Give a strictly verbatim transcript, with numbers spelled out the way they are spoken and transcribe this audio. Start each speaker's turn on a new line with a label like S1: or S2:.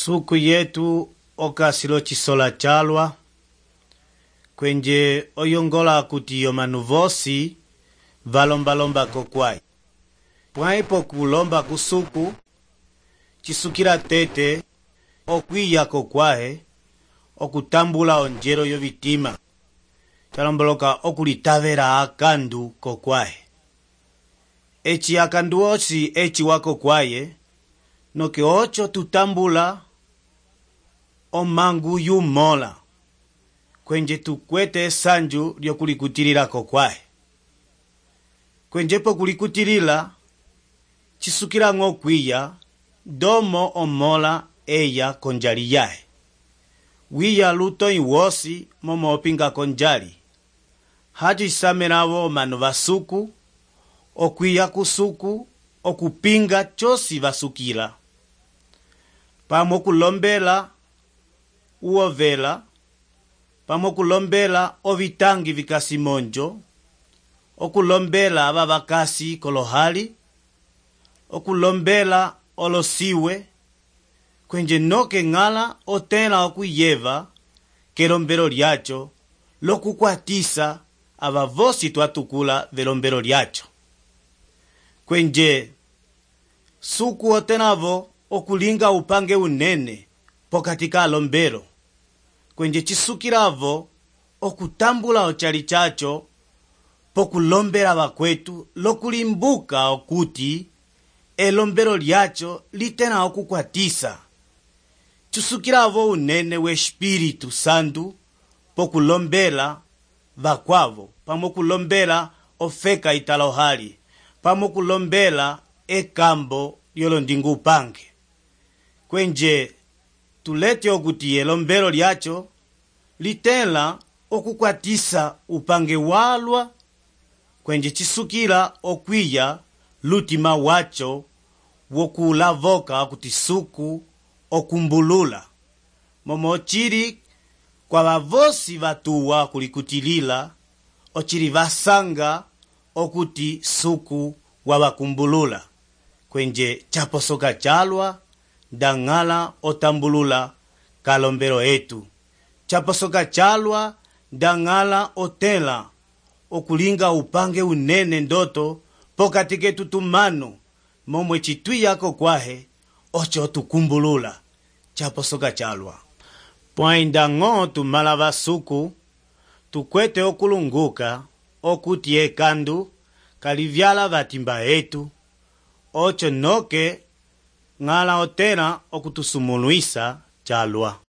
S1: Suku yetu okasilo chisola chalwa kwenje oyongola kuti yomanu vosi valombalomba kokwai. Pwaipo kulomba kusuku chisukila tete okwiya kokwahe okutambula onjero yovitima chalomboloka okulitavela akandu kokwahe. Echi akandu osi echi wako kwaye noke ocho tutambula omangu yumola kwenje tukwete sanju lyokulikutilila kokwahe. Kwenjepo kulikutilila chisukila ng'okwiya domo omola eya konjali yahe. Wiya luto iwosi momo opinga konjali. Haji isamelavo manu vasuku, okwiya kusuku, okupinga chosi vasukila. Pamo kulombela uovela, pamo kulombela ovitangi vikasimonjo, okulombela ababakasi kolohali, okulombela olosiwe, kwenje noke ngala otela okuyeva kelombelo lyacho lokukwatisa abavosi twatukula velombelo lyacho. Kwenje suku otenavo okulinga upange unene pokatika alombelo. Kwenje chisukilavo okutambula ochali chacho pokulombela bakwetu lokulimbuka okuti elombelo lyacho litena okukwatisa. Chisukilavo unene we Espiritu Santu pokulombela bakwavo, pamo kulombela ofeka italohali, pamo kulombela ekambo yolondingu upange. Kwenje tulete okuti elombelo lyacho litela okukwatisa upange walwa, kwenje chisukila okwiya lutima wacho wokulavoka okuti suku okumbulula. Momo chiri kwa bavosi vatuwa kulikutilila ochiri vasanga okuti suku wabakumbulula. Kwenje chaposoka chalwa dangala otambulula kalombelo etu. Chaposoka chalwa dangala otela okulinga upange unene ndoto pokatike tutumano momwe chituya kokwahe ocho tukumbulula. Chaposoka chalwa pwainda ng'o tumala basuku tukwete okulunguka okuti ekandu kalivyala batimba etu ocho noke ngala otela okutusumuluisa chalwa.